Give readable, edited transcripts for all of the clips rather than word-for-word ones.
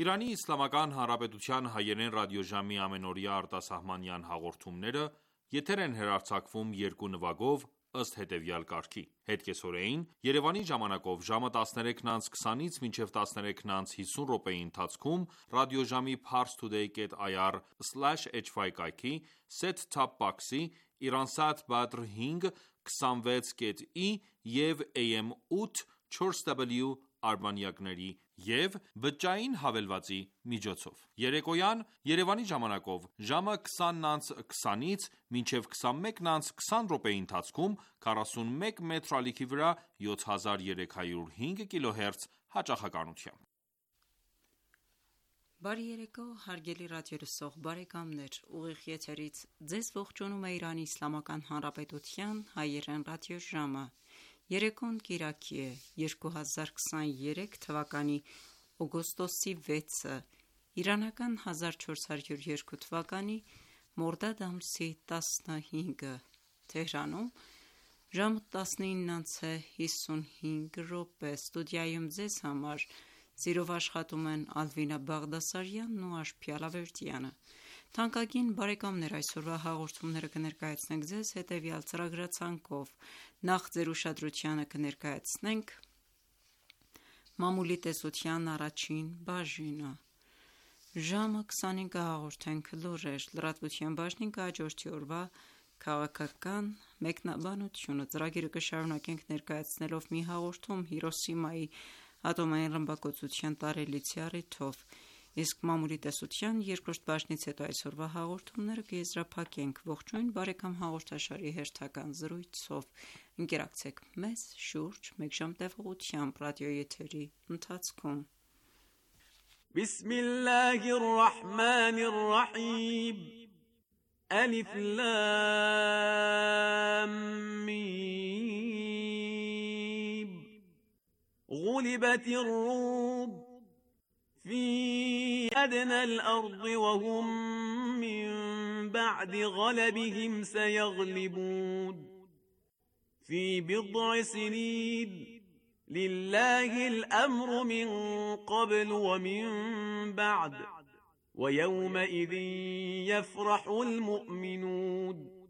Իրանի Իսլամական Հանրապետության հայերեն ռադիոժամի ամենօրյա արտասահմանյան հաղորդումները եթեր են հեռարձակվում երկու նվագով ըստ հետևյալ կարգի: Հետկեսօրեին Երևանի ժամանակով ժամը 13:20-ից մինչև 13:50 րոպեի ընթացքում ռադիոժամի parstoday.ir/hy կայքի, set-top box-ի, Iransat Badr 5 26.ի և AM 8 4W արբանյակների և բջջային հավելվածի միջոցով: Երեկոյան Երևանի ժամանակով ժամը 20:20-ից մինչև 21:20 րոպեի ընթացքում 41 մետր ալիքի վրա 7305 կիլոհերց հաճախականությամբ: Բարի երեկո հարգելի ռադիոլսող բարեկամներ: Ուղիղ եթերից ձեզ ողջունում է Իրանի Իսլամական Հանրապետության հայերեն ռադիոժամը: Երեկոն կիրակի է, 2023 թվականի օգոստոսի 6-ը, իրանական 1402 թվականի մորդադ ամսի 15-ը: Թեհրանում ժամը 19:55: Ստուդիայում ձեզ համար սիրով աշխատում են Ալվինա Բաղդասարյանն ու Աշխ Ալավերդյանը: Թանկագին բարեկամներ, այսօրվա հաղորդումները կներկայացնենք ձեզ հետևյալ ծրագրացանկով: Նախ ձեր ուշադրությանը կներկայացնենք մամուլի տեսության առաջին բաժինը: Ժամը 25-ը կհաղորդենք լուրեր: Լրատվության բաժնին կհաջորդի օրվա քաղաքական մեկնաբանությունը: Ծրագիրը կշարունակենք ներկայացնելով մի հաղորդում Հիրոսիմայի ատոմային ռմբակոծության տարելիցի առիթով: Իսկ մամուլի տեսության երկրորդ բաժնից հետո այսօրվա հաղորդումները կեզրափակենք ողջույն բարեկամ հաղորդաշարի հերթական զրույցով: Ընկերակցեք մեզ շուրջ մեկ ժամ տևողությամբ ռադիոեթերի ընթացքում: Բիսմիլլահի ռահմանի ռահիմ Ալիֆ լամ միմ Ղուլիբաթի ռում في أدنى الأرض وهم من بعد غلبهم سيغلبون في بضع سنين لله الأمر من قبل ومن بعد ويومئذ يفرح المؤمنون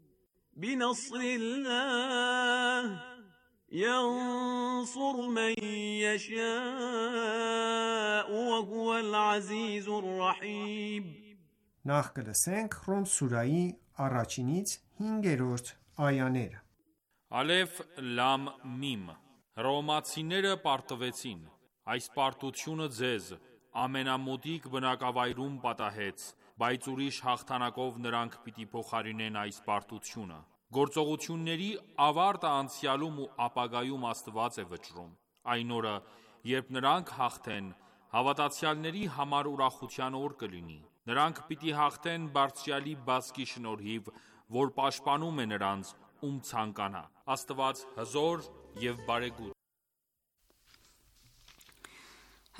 بنصر الله ينصر من يشاء وهو العزيز الرحيم Նախ կլսենք Ռում սուրայի առաջինից 5-րդ այաները: Ալեֆ լամ միմ Հռոմեացիները պարտվեցին: Այս պարտությունը ձեզ ամենամոտիկ բնակավայրում պատահեց, բայց ուրիշ հաղթանակով նրանք պիտի փոխարինեն այս պարտությունը: Գործողությունների ավարտը անցյալում ու ապագայում Աստված է վճռում: Այն օրը, երբ նրանք հաղթեն, հավատացյալների համար ուրախության օր կլինի: Նրանք պիտի հաղթեն Բարձրյալի բազկի շնորհիվ, որ պաշտպանում է նրանց, ում ցանկանա: Աստված հզոր և բարեգութ է: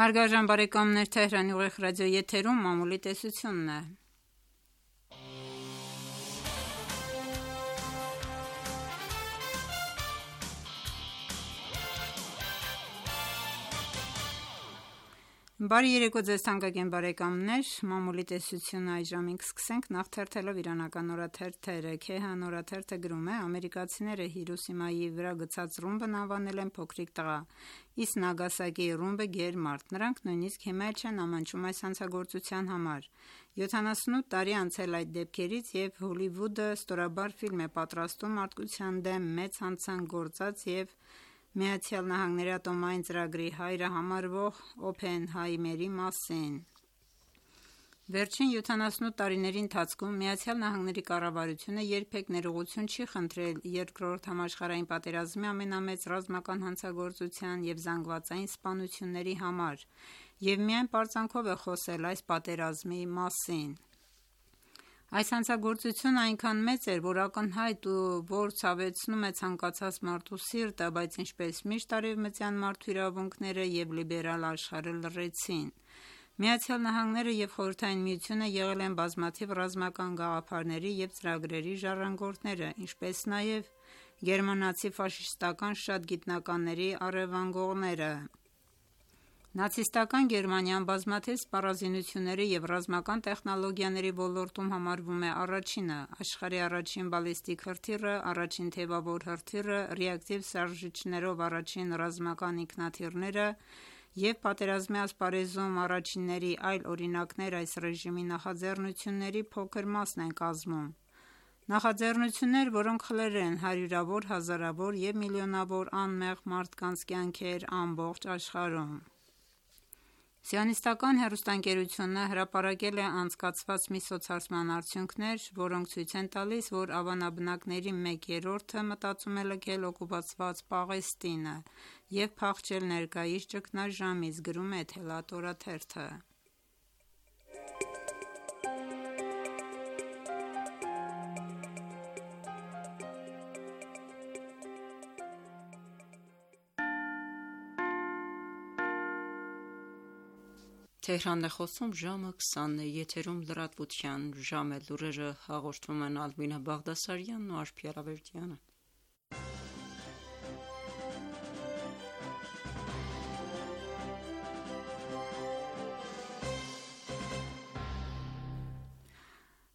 Հարգարժան բարեկամներ, Թեհրանի ուղիղ ռադիոեթերում մամուլի տեսությունն է: Բարի երեկո ձեզ թանկագին բարեկամներ: Մամուլի տեսությունը այս ժամին կսկսենք նախ թերթելով իրանական օրաթերթերը: Քեհան օրաթերթը գրում է. ամերիկացիները Հիրոսիմայի վրա գցած ռումբն անվանել են փոքրիկ տղա, իսկ Նագասակիի ռումբը գերմարդ: Նրանք նույնիսկ հիմա էլ չեն ամաչում այս հանցագործության համար: 78 տարի անցել այդ դեպքերից և Հոլիվուդը ստորաբար ֆիլմ է պատրաստում մարդկության դեմ մեծ հանցանք գործած և ԱՄՆ-ի ատոմային ծրագրի հայրը համարվող Օփենհայմերի մասին: Վերջին 78 տարիների ընթացքում ԱՄՆ կառավարությունը երբեք ներողություն չի խնդրել Երկրորդ համաշխարհային պատերազմի ամենամեծ ռազմական հանցագործության և զանգվածային սպանությունների համար և միայն պարծանքով է խոսել այս պատերազմի մասին: Այս հանցագործությունը այնքան մեծ էր, որ ակնհայտ ու որ ցավեցնում է ցանկացած մարդու սիրտը, բայց ինչպես միշտ արևմտյան մարդու իրավունքները և լիբերալ աշխարհը լռեցին: ԱՄՆ-ն և Խորհրդային Միությունը եղել են բազմաթիվ ռազմական գաղափարների և ծրագրերի ժառանգորդները, ինչպես նաև գերմանացի ֆաշիստական շատ գիտնականների առևանգողները: Նացիստական Գերմանիան բազմաթիվ սպառազինությունների և ռազմական տեխնոլոգիաների ոլորտում համարվում է առաջինը, աշխարհի առաջին բալիստիկ հրթիռը, առաջին թեւավոր հրթիռը, ռեակտիվ շարժիչներով առաջին ռազմական ինքնաթիռները և պատերազմի ասպարեզում առաջինների այլ օրինակներ այս ռեժիմի նախաձեռնությունների փոքր մասն են կազմում: Նախաձեռնություններ, որոնք խլել են հարյուրավոր, հազարավոր և միլիոնավոր անմեղ մարդկանց կյանքեր ամբողջ աշխարհում: Սիոնիստական հեռուստաընկերությունը հրապարակել է անցկացված մի սոցհարցման արդյունքներ, որոնք ցույց են տալիս, որ ավանաբնակների մեկ երրորդը մտածում է լքել օկուպացված Պաղեստինը և փախչել ներկայիս ճգնաժամից, գրում է «Թելաթ» օրաթերթը: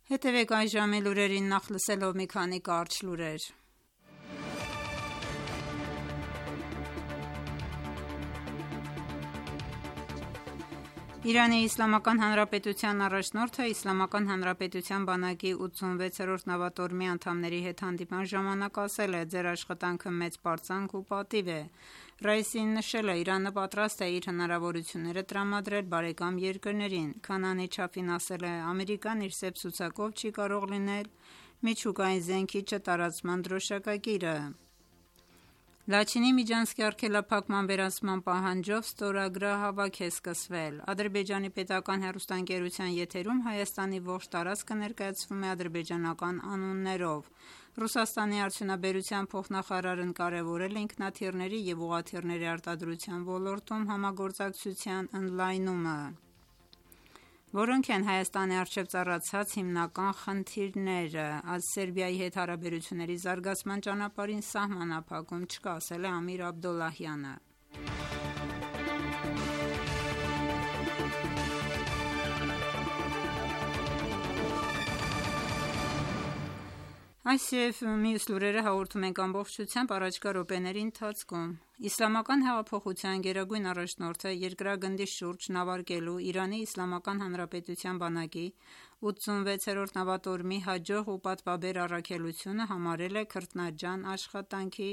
Հետևեք այս ժամի լուրերին նախ լսելով մի քանի կարճ լուրեր: Իրանի Իսլամական Հանրապետության առաջնորդը Իսլամական Հանրապետության բանակի 86-րդ նավատորմի անդամների հետ հանդիպման ժամանակ ասել է. «Ձեր աշխատանքը մեծ պարծանք ու պատիվ է»: Ռայիսին նշել է. «Իրանը պատրաստ է իր հնարավորությունները տրամադրել բարեկամ երկրներին»: Քանանի չափին ասել է. «Ամերիկան իր սև ցուցակով չի կարող լինել միջուկային զենքի չտարածման դրոշակակիրը»: Լաչինի միջանցքի արգելափակման վերացման պահանջով ստորագրահավաք է սկսվել: Ադրբեջանի պետական հեռուստաընկերության եթերում Հայաստանի ողջ տարածքը ներկայացվում է ադրբեջանական անուններով: Ռուսաստանի արդյունաբերության փոխնախարարն կարևորել է ինքնաթիռների և ուղղաթիռների արտադրության ոլորտում համագործակցության ընդլայնումը, որոնք են Հայաստանի առջև ծառացած հիմնական խնդիրները: Սերբիայի հետ հարաբերությունների զարգացման ճանապարհին սահմանափակում չկա, ասել է Ամիր Աբդոլլահյանը: Այս և մյուս լուրերը հաղորդում ենք ամբողջությամբ առաջիկա րոպեների ընթացքում: Իսլամական հեղափոխության գերագույն առաջնորդը երկրագնդի շուրջ նավարկելու Իրանի Իսլամական Հանրապետության բանակի 86-րդ նավատորմի հաջող ու պատվաբեր առաքելությունը համարել է քրտնաջան աշխատանքի,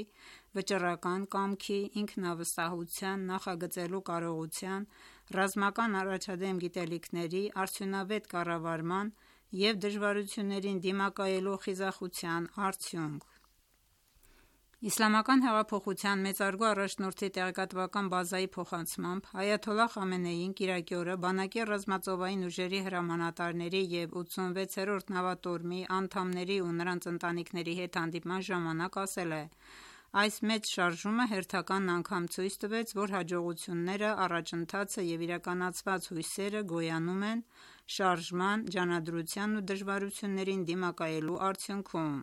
վճռական կամքի, ինքնավստահության, նախագծելու կարողության, ռազմական առաջադեմ գիտելիքների, արդյունավետ կառավարման և դժվարություններին դիմակայելու խիզախության արդյունք: Իսլամական հեղափոխության մեծարգո առաջնորդի տեղեկատվական բազայի փոխանցմամբ Այաթոլլահ Խամենեին կիրակի օրը բանակի ռազմածովային ուժերի հրամանատարների և 86-րդ նավատորմի անդամների ու նրանց ընտանիքների հետ հանդիպման ժամանակ ասել է. «Այս մեծ շարժումը հերթական անգամ ցույց տվեց, որ հաջողությունները, առաջընթացը և իրականացված հույսերը գոյանում են շարժման, ջանադրության ու դժվարություններին դիմակայելու արդյունքում»: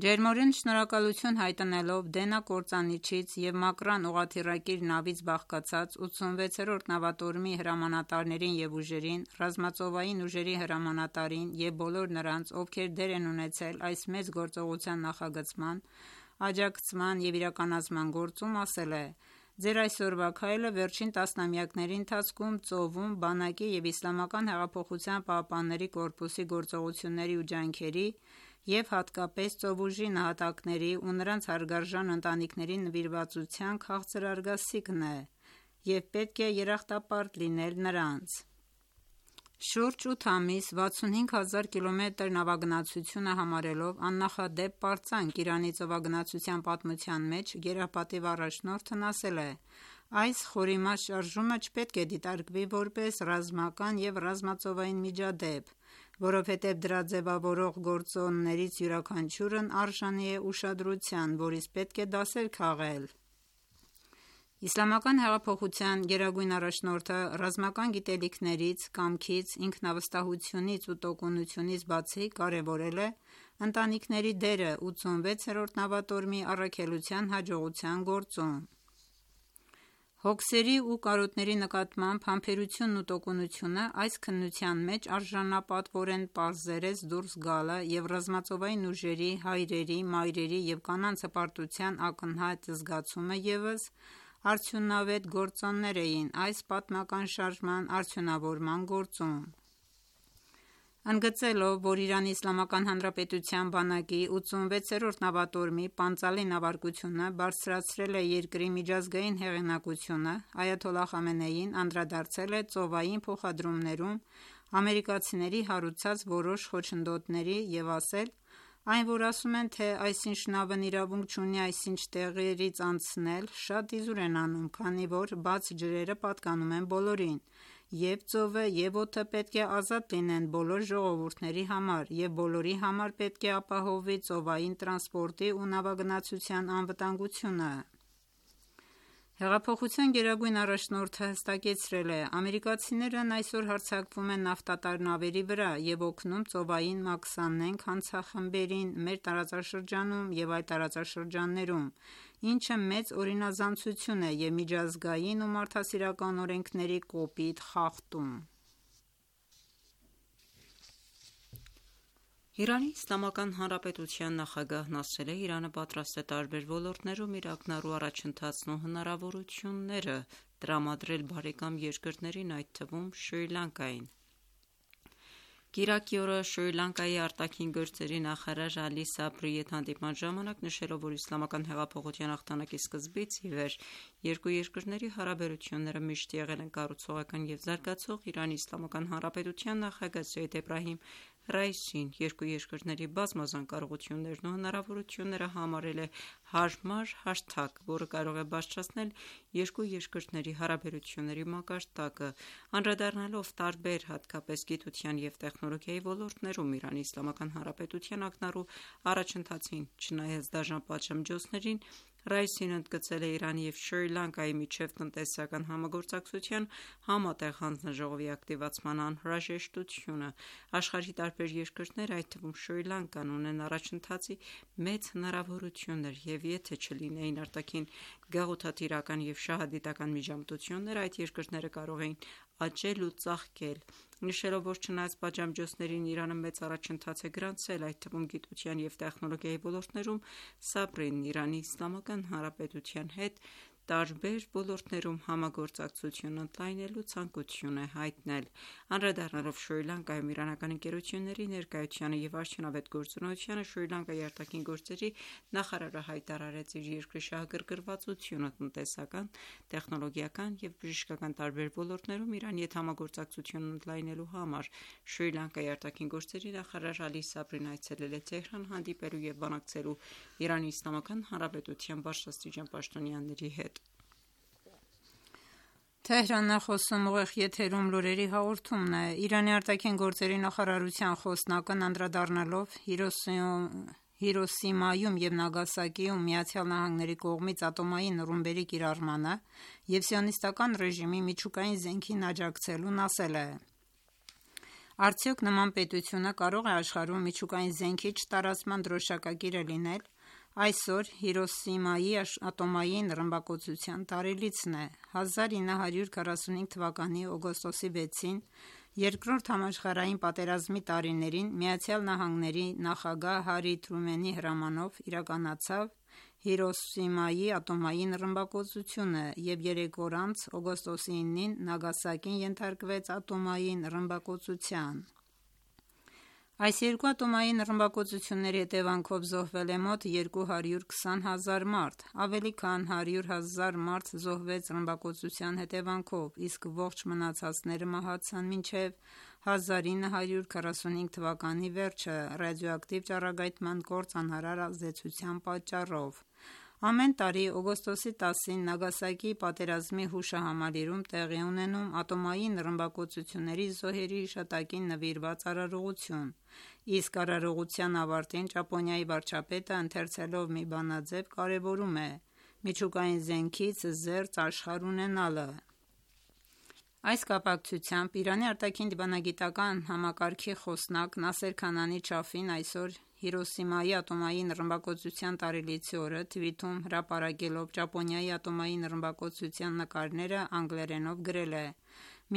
Ջերմորեն շնորհակալություն հայտնելով Դենա կործանիչից և Մակրան ուղղաթիռակիր նավից բաղկացած 86-րդ նավատորմի հրամանատարներին և ուժերին, ռազմածովային ուժերի հրամանատարին և բոլոր նրանց, ովքեր դեր են ունեցել այս մեծ գործողության նախագծման, աջակցման և իրականացման գործում, ասել է. «Ձեր այսօրվա քայլը վերջին տասնամյակների ընթացքում ծովում, բանակի և ԻՀՊԿ-ի գործողությունների ու ջանքերի և հատկապես ծովուժի նահատակների ու նրանց հարգարժան ընտանիքների նվիրվածության քաղցր արգասիքն է և պետք է երախտապարտ լինել նրանց»: Շուրջ 8 ամիս, 65 հազար կիլոմետր նավագնացությունը համարելով աննախադեպ պարծանք Իրանի ծովագնացության պատմության մեջ, գերապատիվ առաջնորդն ասել է. «Այս խորիմաստ շարժումը չպետք է դիտարկվի որպես ռազմական և ռազմածովային միջադեպ, որովհետև դրա ձևավորող գործոններից յուրաքանչյուրն արժանի է ուշադրության, որից պետք է դասեր քաղել»: Իսլամական հեղափոխության գերագույն առաջնորդը ռազմական գիտելիքներից, կամքից, ինքնավստահությունից ու տոկունությունից բացի կարևորել է ընտանիքների դերը 86-րդ նավատորմի առաքելության հաջողության գործում: Հոգսերի ու կարոտների նկատմամբ համբերությունն ու տոկունությունը այս քննության մեջ արժանապատվորեն պարզերես դուրս գալը և ռազմածովային ուժերի, հայրերի, մայրերի և կանանց հպարտության ակնհայտ զգացումը ևս արդյունավետ գործոններ էին այս պատմական շարժման արդյունավորման գործում: Ընդգծելով, որ ԻԻՀ բանակի 86-րդ նավատորմի պանծալի նավարկությունը բարձրացրել է երկրի միջազգային հեղինակությունը, այաթոլլահ Խամենեին անդրադարձել է ծովային փոխադրումներում ամերիկացիների հարուցած որոշ խոչընդոտների և ասել. «Այն, որ ասում են, թե այսինչ նավն իրավունք չունի այսինչ տեղերից անցնել, շատ իզուր են անում, քանի որ բաց ջրերը պատկանում են բոլորին, և ծովը, և օդը պետք է ազատ լինեն բոլոր ժողովուրդների համար, և բոլորի համար պետք է ապահովվի ծովային տրանսպորտի ու նավագնացության անվտանգությունը»: Հեղափոխության գերագույն առաջնորդը հստակեցրել է. «Ամերիկացիներն այսօր հարձակվում են նավթատար նավերի վրա և օգնում ծովային մաքսանենգ հանցախմբերին մեր տարածաշրջանում և այլ տարածաշրջաններում, ինչը մեծ օրինազանցություն է և միջազգային ու մարդասիրական օրենքների կոպիտ խախտում»: ԻԻՀ նախագահն ասել է. «Իրանը պատրաստ է տարբեր ոլորտներում իր ակնառու առաջընթացն ու հնարավորությունները տրամադրել բարեկամ երկրներին, այդ թվում Շրի Լանկային»: Կիրակի օրը Շրի Լանկայի արտաքին գործերի նախարար Ալի Սաբրիի հետ հանդիպման ժամանակ նշելով, որ իսլամական հեղափոխության հաղթանակի սկզբից ի վեր երկու երկրների հարաբերությունները միշտ եղել են կառուցողական և զարգացող, ԻԻՀ նախագահ Սեյեդ Էբրահիմ Ռայիսին երկու երկրների բազմազան կարողություններն ու հնարավորությունները համարել է հարմար հարթակ, որը կարող է բարձրացնել երկու երկրների հարաբերությունների մակարդակը: Անդրադառնալով տարբեր, հատկապես գիտության և տեխնոլոգիայի ոլորտներում ԻԻՀ ակնառու առաջընթացին, չնայած դաժան պատժամիջոցներին, Ռայիսին ընդգծել է Իրանի և Շրի Լանկայի միջև տնտեսական համագործակցության համատեղ հանձնաժողովի ակտիվացման անհրաժեշտությունը: Աշխարհի տարբեր երկրներ, այդ թվում Շրի Լանկան, ունեն առաջընթացի մեծ հնարավորություններ և եթե չլինեին արտաքին գաղութատիրական և շահադիտական միջամտություններ, այդ երկրները կարող էին աճել ու ծաղկել: Նշելով, որ չնայած պատժամիջոցներին Իրանը մեծ առաջընթաց է գրանցել, այդ թվում գիտության և տեխնոլոգիայի ոլորտներում, Սաբրին ԻԻՀ հետ տարբեր ոլորտներում համագործակցություն ընդլայնելու ցանկություն է հայտնել: Անդրադառնալով Շրի Լանկայում իրանական ընկերությունների ներկայությանը և արդյունավետ գործունեությանը, Շրի Լանկայի արտաքին գործերի նախարարը հայտարարեց իր երկրի շահագրգռվածությունը տնտեսական, տեխնոլոգիական և բժշկական տարբեր ոլորտներում Իրանի հետ համագործակցությունն ընդլայնելու համար: Շրի Լանկայի արտաքին գործերի նախարար Ալի Սաբրին այցելել է Թեհրան հանդիպելու և բանակցելու ԻԻՀ բարձրաստիճան պաշտոնյաների հետ: Իրանի արտաքին գործերի նախարարության խոսնակն անդրադառնալով Հիրոսիմայում և Նագասակիում ԱՄՆ-ի կողմից ատոմային ռումբերի կիրառմանը և Սիոնիստական ռեժիմի միջուկային զենքին աջակցելուն, ասել է. «Արդյոք նման պետությունը կարող է աշխարհում միջուկային զենքի չտարածման դրոշակակիրը լինել: Այսօր Հիրոսիմայի ատոմային ռմբակոծության տարելիցն է: 1945 թվականի օգոստոսի 6-ին, Երկրորդ համաշխարհային պատերազմի տարիներին, ԱՄՆ նախագահ Հարի Թրումենի հրամանով իրականացավ Հիրոսիմայի ատոմային ռմբակոծությունը և երեք օր անց, օգոստոսի 9-ին, Նագասակին ենթարկվեց ատոմային ռմբակոծության: Այս երկու ատոմային ռմբակոծությունների հետևանքով զոհվել է մոտ 220 հազար մարդ: Ավելի քան 100 հազար մարդ զոհվեց ռմբակոծության հետևանքով, իսկ ողջ մնացածները մահացան մինչև 1945 թվականի վերջը ռադիոակտիվ ճառագայթման կործանարար ազդեցության պատճառով: Ամեն տարի օգոստոսի 10-ին Նագասակիի պատերազմի հուշահամալիրում տեղի է ունենում ատոմային ռմբակոծությունների զոհերի հիշատակին նվիրված արարողություն, իսկ արարողության ավարտին Ճապոնիայի վարչապետը ընթերցելով մի բանաձև կարևորում է միջուկային զենքից զերծ աշխարհ ունենալը: Այս կապակցությամբ Իրանի արտաքին դիվանագիտական համակարգի խոսնակ Նասեր Քանանի Չաֆին այսօր Հիրոսիմայի ատոմային ռմբակոծության տարելիցի օրը թվիթում հրապարակելով Ճապոնիայի ատոմային ռմբակոծության նկարները անգլերենով գրել է.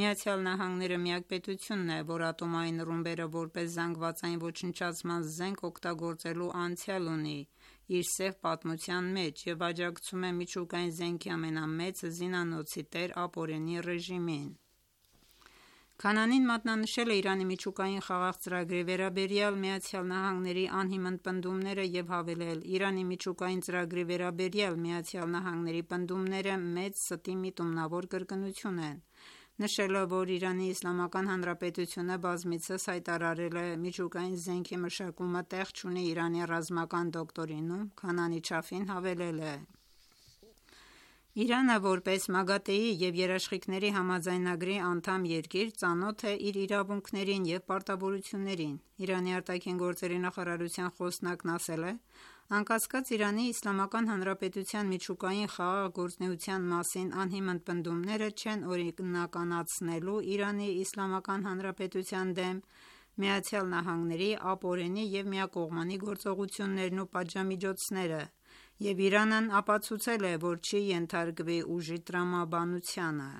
Միացյալ Նահանգները միակ պետությունն է, որ ատոմային ռումբերը որպես զանգվածային ոչնչացման զենք օգտագործելու անցյալ ունի իր սև պատմության մեջ և աջակցում է միջուկային զենքի ամենամեծ զինանոցի տեր ապօրինի ռեժիմին։ Քանանին մատնանշել է Իրանի միջուկային խաղաղ ծրագրի վերաբերյալ ԱՄՆ-ի անհիմն պնդումները և հավելել. «Իրանի միջուկային ծրագրի վերաբերյալ ԱՄՆ-ի պնդումները մեծ ստի միտումնավոր կրկնություն են»։ Նշելով, որ Իրանի Իսլամական Հանրապետությունը բազմիցս հայտարարել է միջուկային զենքի մշակումը տեղ չունի Իրանի ռազմական դոկտրինում, Քանանի Չաֆին հավելել է. «Իրանը որպես ՄԱԳԱՏԷ-ի և Երաշխիքների համաձայնագրի անդամ երկիր ծանոթ է իր իրավունքներին և պարտավորություններին»։ Իրանի արտաքին գործերի նախարարության խոսնակն ասել է. «Անկասկած Իրանի Իսլամական Հանրապետության միջուկային խաղաղ գործունեության մասին անհիմն պնդումները չեն օրինականացնելու Իրանի Իսլամական Հանրապետության դեմ ԱՄՆ-ի ապօրինի և միակողմանի գործողություններն ու պատժամիջոցները, և Իրանն ապացուցել է, որ չի ենթարկվի ուժի տրամաբանությանը»։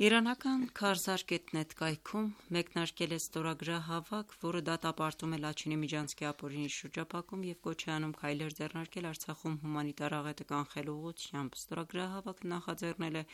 Իրանական Քարզար.net կայքում մեկնարկել է ստորագրահավաք, որը դատապարտում է Լաչինի միջանցքի ապօրինի շրջափակում և կոչ է անում քայլեր ձեռնարկել Արցախում հումանիտար աղետը կանխելու ուղղությամբ։ Ստորագրահավաքը նախաձեռնել է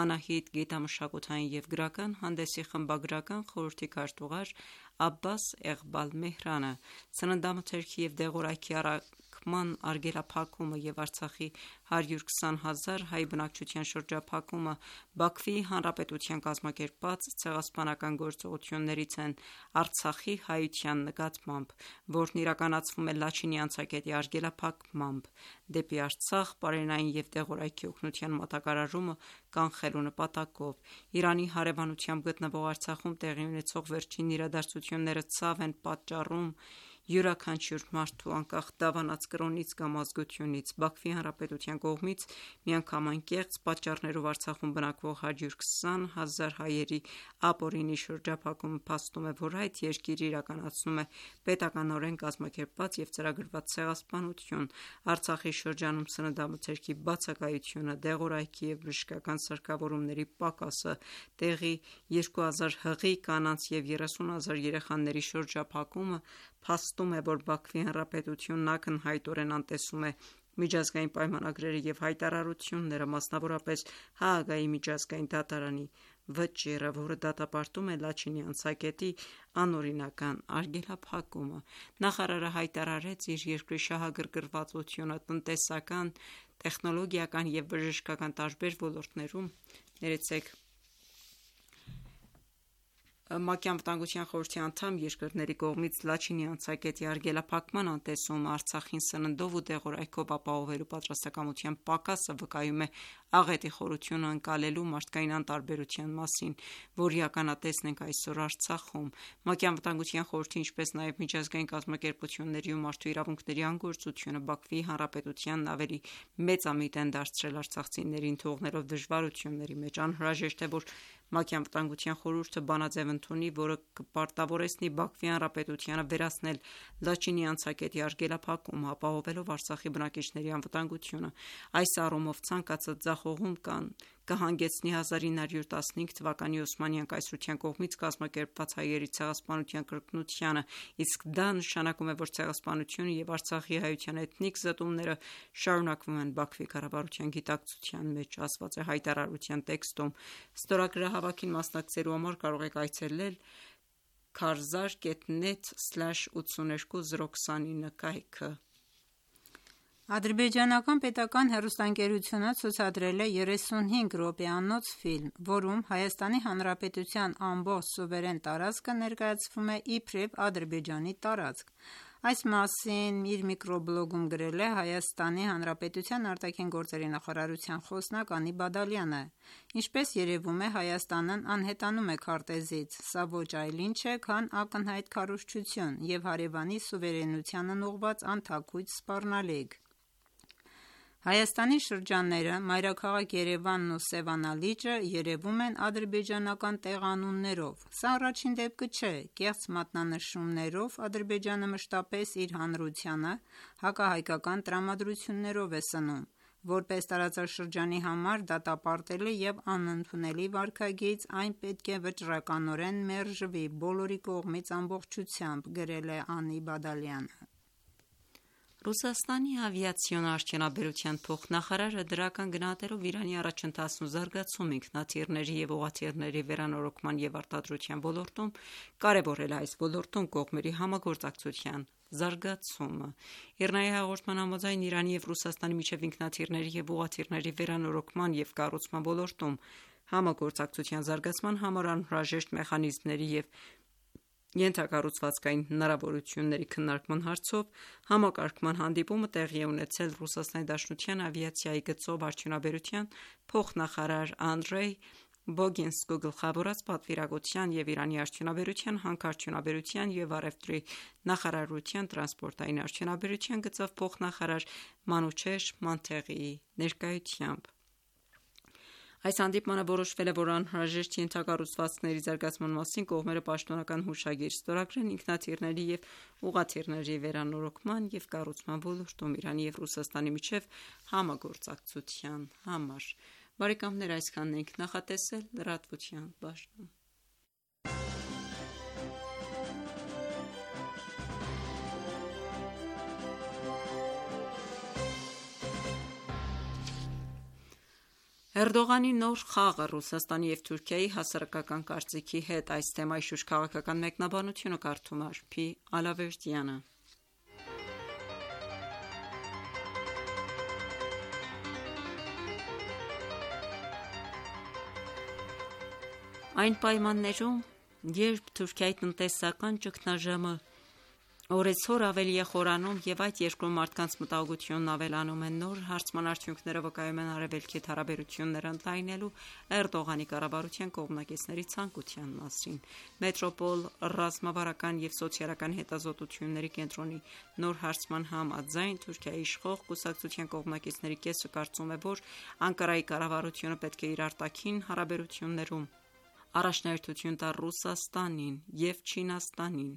Անահիտ գիտամշակութային և գրական հանդեսի խմբագրական խորհրդի քարտուղար Աբբաս Էղբալ Մեհրանը։ Սննդամթերքի և դեղորայքի առաքման արգելափակումը և Արցախի 120 հազար հայ բնակչության շրջափակումը Բաքվի Հանրապետության կազմակերպած ցեղասպանական գործողություններից են Արցախի հայության նկատմամբ, որն իրականացվում է Լաչինի անցակետի արգելափակմամբ դեպի Արցախ պարենային և դեղորայքի օգնության մատակարարումը կանխելու նպատակով։ Իրանի հարևանությամբ գտնվող Արցախում տեղի ունեցող վերջին իրադարձությունները ցավ են պատճառում յուրաքանչյուր մարդու, անկախ դավանած կրոնից կամ ազգությունից։ Բաքվի Հանրապետության կողմից միանգամայն կեղծ պատճառներով Արցախում բնակվող 120 հազար հայերի ապօրինի շրջափակումը փաստում է, որ այդ երկիրը իրականացնում է պետականորեն կազմակերպված և ծրագրված ցեղասպանություն։ Արցախի շրջանում սննդամթերքի բացակայությունը, դեղորայքի և բժշկական սարքավորումների պակասը, տեղի 2000 հղի կանանց և 30 հազար երեխաների շրջափակումը փաստում է, որ Բաքվի Հանրապետությունն ակնհայտորեն անտեսում է միջազգային պայմանագրերը և հայտարարությունները, մասնավորապես Հաագայի միջազգային դատարանի վճիռը, որը դատապարտում է Լաչինի անցակետի անօրինական արգելափակումը։ Նախարարը հայտարարեց իր երկրի շահագրգռվածությունը տնտեսական, տեխնոլոգիական և բժշկական տարբեր ոլորտներում։ ՄԱԿ-ի Անվտանգության խորհրդի անդամ երկրների կողմից Լաչինի անցակետի արգելափակման անտեսումը, Արցախին սննդով ու դեղորայքով ապահովելու պատրաստակամության պակասը վկայում է աղետի խորությունը ընկալելու մարդկային անտարբերության մասին, որի ականատեսն ենք այսօր Արցախում։ ՄԱԿ-ի Անվտանգության խորհրդի, ինչպես նաև միջազգային կազմակերպությունների ու մարդու իրավունքների անգործությունը Բաքվի Հանրապետությանն ավելի մեծամիտ են դարձրել արցախցիներին, թողնելով դժվարությունների մեջ։ Անհրաժեշտ է, որ ՄԱԿ-ի Անվտանգության խորհուրդը բանաձև ընդունի, որը կպարտավորեցնի Բաքվի Հանրապետությանը վերացնել Լաչինի անցակետի արգելափակումը, ապահովելով Արցախի բնակիչների անվտանգությունը։ Այս առումով ցանկացած ձախողում կհանգեցնի 1915 թվականի Օսմանյան կայսրության կողմից կազմակերպված հայերի ցեղասպանության կրկնությանը, իսկ դա նշանակում է, որ ցեղասպանությունը և Արցախի հայության էթնիկ զտումները շարունակվում են Բաքվի կառավարության գիտակցության մեջ, ասված է հայտարարության տեքստում։ Ստորագրահավաքին մասնակցելու համար կարող եք այցելել Karzar.net/82-029 կայքը։ Ադրբեջանական պետական հեռուստաընկերությունը ցուցադրել է 35 րոպեանոց ֆիլմ, որում Հայաստանի Հանրապետության ամբողջ սուվերեն տարածքը ներկայացվում է իբրև Ադրբեջանի տարածք։ Այս մասին իր միկրոբլոգում գրել է Հայաստանի Հանրապետության արտաքին գործերի նախարարության խոսնակ Անի Բադալյանը։ Ինչպես երևում է, Հայաստանն անհետանում է քարտեզից։ Սա ոչ այլ ինչ է, քան ակնհայտ քարոզչություն և հարևանի սուվերենությանն ուղղված անթաքույց սպառնալիք։ Հայաստանի շրջանները, մայրաքաղաք Երևանն ու Սևանա լիճը երևում են ադրբեջանական տեղանուններով։ Սա առաջին դեպքը չէ։ Կեղծ մատնանշումներով Ադրբեջանը մշտապես իր հանրությանը հակահայկական տրամադրություններով է սնում։ Որպես տարածաշրջանի համար դատապարտել է և անընդունելի վարքագիծ, այն պետք է վճռականորեն մերժվի բոլորի կողմից ամբողջությամբ, գրել է Անի Բադալյանը։ Ռուսաստանի ավիացիոն արդյունաբերության փոխնախարարը դրական գնահատելով Իրանի առաջընթացն ու զարգացումը ինքնաթիռների և ուղղաթիռների վերանորոգման և արտադրության ոլորտում, կարևորել այս ոլորտում կողմերի համագործակցության զարգացումը։ ԻՌՆԱ-ի հաղորդման համաձայն Իրանի և Ռուսաստանի միջև ինքնաթիռների և ուղղաթիռների վերանորոգման և կառուցման ոլորտում համագործակցության զարգացման համար անհրաժեշտ մեխանիզմների և ենթակառուցվածքային հնարավորությունների քննարկման հարցով համակարգման հանդիպումը տեղի է ունեցել ՌԴ ավիացիայի գծով արդյունաբերության փոխնախարար Անդրեյ Բոգինսկու գլխավորած պատվիրակության և Իրանի արդյունաբերության, հանքարդյունաբերության և առևտրի նախարարության տրանսպորտային արդյունաբերության գծով փոխնախարար Մանուչեհ Մոնթեղիի ներկայությամբ։ Այս հանդիպմանը որոշվել է, որ անհրաժեշտ ենթակառուցվածքների զարգացման մասին կողմերը պաշտոնական հուշագիր ստորագրեն ինքնաթիռների և ուղղաթիռների վերանորոգման և կառուցման ոլորտում Իրանի և Ռուսաստանի միջև համագործակցության համար։ Բարեկամներ, այսքանն ենք նախատեսել լրատվության բաժնում։ Էրդողանի նոր խաղը Ռուսաստանի և Թուրքիայի հասարակական կարծիքի հետ, այս թեմայի շուրջ քաղաքական մեկնաբանությունը կարդում է Արփի Ալավերդյանը։ Այն պայմաններում, երբ Թուրքիայի տնտեսական ճգնաժամը օրեցօր ավելի է խորանում և այդ երկրում մարդկանց մտահոգությունն ավելանում է, նոր հարցման արդյունքները վկայում են Արևելքի հետ հարաբերությունները ընդլայնելու Էրդողանի կառավարության կողմնակիցների ցանկության մասին։ Մետրոպոլ ռազմավարական և սոցիալական հետազոտությունների կենտրոնի նոր հարցման համաձայն, Թուրքիայի իշխող կուսակցության կողմնակիցների կեսը կարծում է, որ Անկարայի կառավարությունը պետք է իր արտաքին հարաբերություններում առաջնահերթություն տա Ռուսաստանին և Չինաստանին։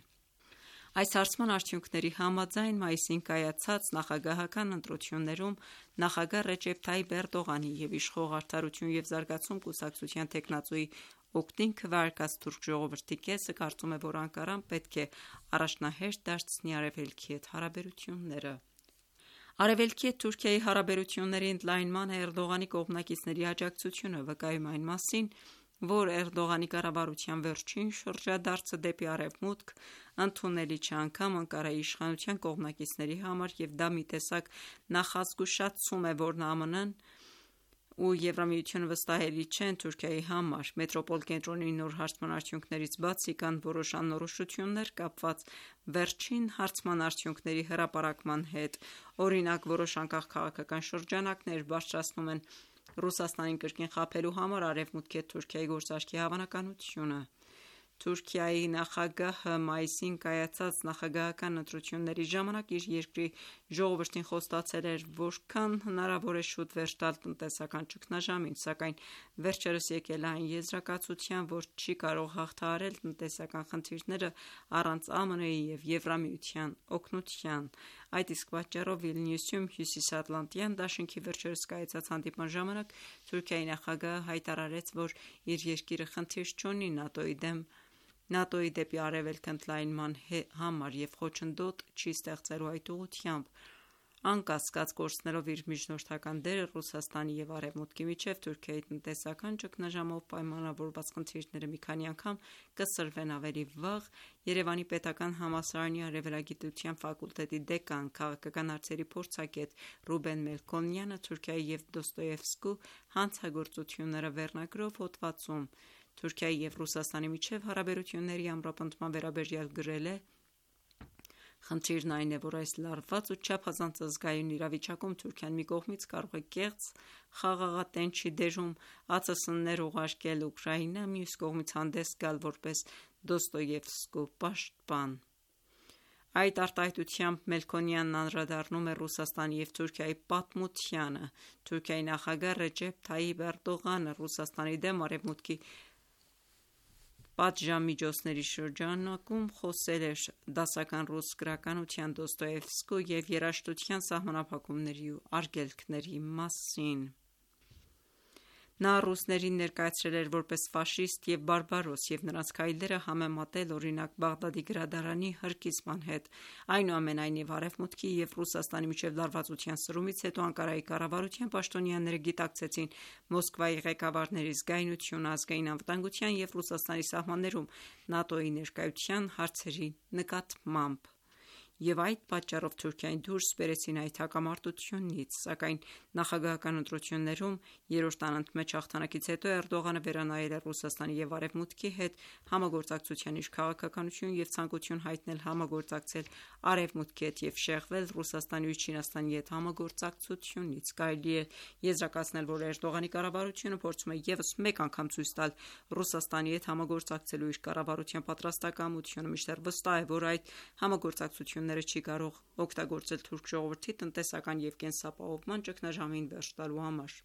Այս հարցման արդյունքների համաձայն, մայիսին կայացած նախագահական ընտրություններում նախագահ Ռեջեփ Թայիփ Էրդողանի և իշխող Արդարություն և զարգացում կուսակցության թեկնածուի օգտին քվեարկած թուրք ժողովրդի կեսը կարծում է, որ Անկարան պետք է առաջնահերթ դարձնի Արևելքի հետ հարաբերությունները։ Արևելքի հետ Թուրքիայի հարաբերությունների ընդլայնմանը Էրդողանի կողմնակիցների աջակցությունը վկայում է այն մասին, որ Էրդողանի կառավարության վերջին շրջադարձը դեպի Արևմուտք ընդունելի չէ անգամ Անկարայի իշխանության կողմնակիցների համար, և դա մի տեսակ նախազգուշացում է, որ ԱՄՆ-ն ու Եվրամիությունը վստահելի չեն Թուրքիայի համար։ Մետրոպոլ կենտրոնի նոր հարցման արդյունքներից բացի, կան որոշ անորոշություններ կապված վերջին հարցման արդյունքների հրապարակման հետ։ Օրինակ, որոշ անկախ քաղաքական շրջանակներ բարձրացնում են Ռուսաստանին կրկին խաբելու համար Արևմուտքի հետ Թուրքիայի գործարքի հավանականությունը։ Թուրքիայի նախագահը մայիսին կայացած նախագահական ընտրությունների ժամանակ իր երկրի ժողովրդին խոստացել էր որքան հնարավոր է շուտ վերջ տալ տնտեսական ճգնաժամին, սակայն վերջերս եկել է այն եզրակացության, որ չի կարող հաղթահարել տնտեսական խնդիրները առանց ԱՄՆ-ի և Եվրամիության օգնության։ Այդ իսկ պատճառով Վիլնյուսում Հյուսիսատլանտյան դաշինքի վերջերս կայացած հանդիպման ժամանակ Թուրքիայի նախագահը հայտարարեց, որ իր երկիրը խնդիր չունի ՆԱՏՕ-ի դեպի Արևելք ընդլայնման համար և խոչընդոտ չի ստեղծելու այդ ուղղությամբ։ Անկասկած կորցնելով իր միջնորդական դերը Ռուսաստանի և Արևմուտքի միջև, Թուրքիայի տնտեսական ճգնաժամով պայմանավորված խնդիրները մի քանի անգամ կսրվեն ավելի վաղ։ Երևանի պետական համալսարանի արևելագիտության ֆակուլտետի դեկան, քաղաքական հարցերի փորձագետ Ռուբեն Մելքոնյանը Թուրքիայի և Դոստոևսկու հանցագործությունները վերնագրով հոդվածում Թուրքիայի և Ռուսաստանի միջև հարաբերությունների ամրապնդման վերաբերյալ գրել է. Խնդիրն այն է, որ այս լարված ու չափազանց ազգայուն իրավիճակում Թուրքիան մի կողմից կարող է կեղծ խաղաղատենչի դերում ԱՑՍ-ներ ուղարկել Ուկրաինա, մյուս կողմից հանդես գալ որպես Դոստոևսկու պաշտպան։ Այդ արտահայտությամբ Մելքոնյանն անդրադառնում է Ռուսաստանի և Թուրքիայի պատմությանը։ Թուրքիայի նախագահ Ռեջեփ Թայիփ Էրդողանը Ռուսաստանի դեմ Արևմուտքի պատժամիջոցների շրջանակում խոսել էր դասական ռուս գրականության Դոստոևսկու և երաժշտության սահմանափակումների ու արգելքների մասին։ Նա ռուսներին ներկայացրել էր որպես ֆաշիստ և բարբարոս և նրանց քայլերը համեմատել օրինակ Բաղդադի գրադարանի հրկիզման հետ։ Այնուամենայնիվ Արևմուտքի և Ռուսաստանի միջև լարվածության սրումից հետո Անկարայի կառավարության պաշտոնյաները գիտակցեցին Մոսկվայի ղեկավարների զգայունությունը ազգային անվտանգության և Ռուսաստանի սահմաններում ՆԱՏՕ-ի ներկայության հարցերի նկատմամբ, և այդ պատճառով Թուրքիային դուրս բերեցին այդ հակամարտությունից։ Սակայն նախագահական ընտրություններում երրորդ անընդմեջ հաղթանակից հետո Էրդողանը վերանայել է Ռուսաստանի և Արևմուտքի հետ համագործակցության իր քաղաքականություն և ցանկություն հայտնել համագործակցել Արևմուտքի հետ և շեղվել Ռուսաստանի ու Չինաստանի հետ համագործակցությունից։ Կարելի է եզրակացնել, որ Էրդողանի կառավարությունը փորձում է ևս մեկ անգամ ցույց տալ Ռուսաստանի հետ համագործակցելու իր կառավարության պատրաստակամությունը, մինչդեռ վստահ է, որ այդ համագործակցությունները չի կարող օգտագործել թուրք ժողովրդի տնտեսական և կենսապահովման ճգնաժամին վերջ տալու համար։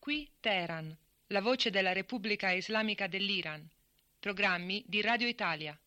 Qui Teheran, la voce della Repubblica Islamica dell'Iran. Programmi di Radio Italia.